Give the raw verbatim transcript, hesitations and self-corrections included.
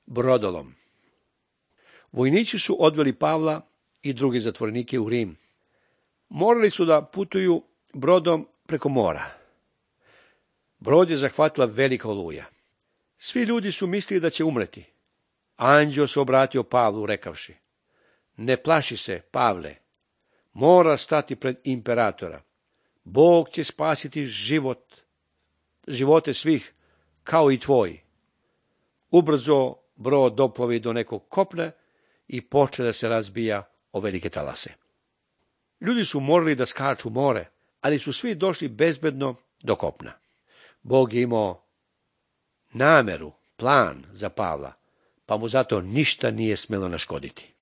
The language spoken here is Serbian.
brodolom. Vojnici su odveli Pavla i druge zatvorenike u Rim. Morali su da putuju brodom preko mora. Brod je zahvatila velika oluja. Svi ljudi su mislili da će umreti. Anđeo se obratio Pavlu rekavši: ne plaši se, Pavle, mora stati pred imperatora. Bog će spasiti život, živote svih, kao i tvoj. Ubrzo brod doplovi do nekog kopna i počne da se razbija o velike talase. Ljudi su morali da skaču more, ali su svi došli bezbedno do kopna. Bog je imao nameru, plan za Pavla, pa mu zato ništa nije smelo naškoditi.